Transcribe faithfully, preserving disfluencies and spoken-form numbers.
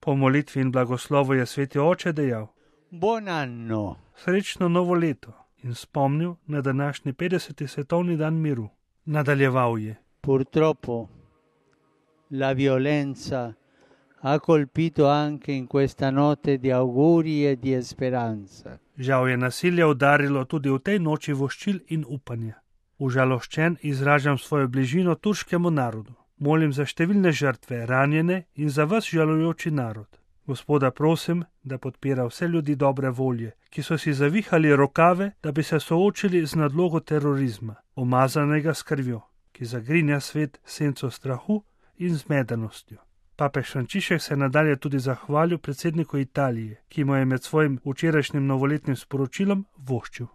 Po molitvi in blagoslovu je sveti oče dejal: Buon anno. Srečno novo leto in spomnil na današnji petdeseti svetovni dan miru. Nadaljeval je: Purtroppo la violenza ha colpito anche in questa notte di auguri e di speranza. Žal je nasilje udarilo tudi v tej noči voščil in upanja. Užaloščen izražam svojo bližino turškemu narodu. Molim za številne žrtve, ranjene in za vas žalujoči narod. Gospoda prosim, da podpira vse ljudi dobre volje, ki so si zavihali rokave, da bi se soočili z nadlogo terorizma, omazanega s krvjo, ki zagrinja svet senco strahu in zmedenostjo. Papež Frančišek se nadalje tudi zahvalil predsedniku Italije, ki mu je med svojim včerajšnjim novoletnim sporočilom voščil.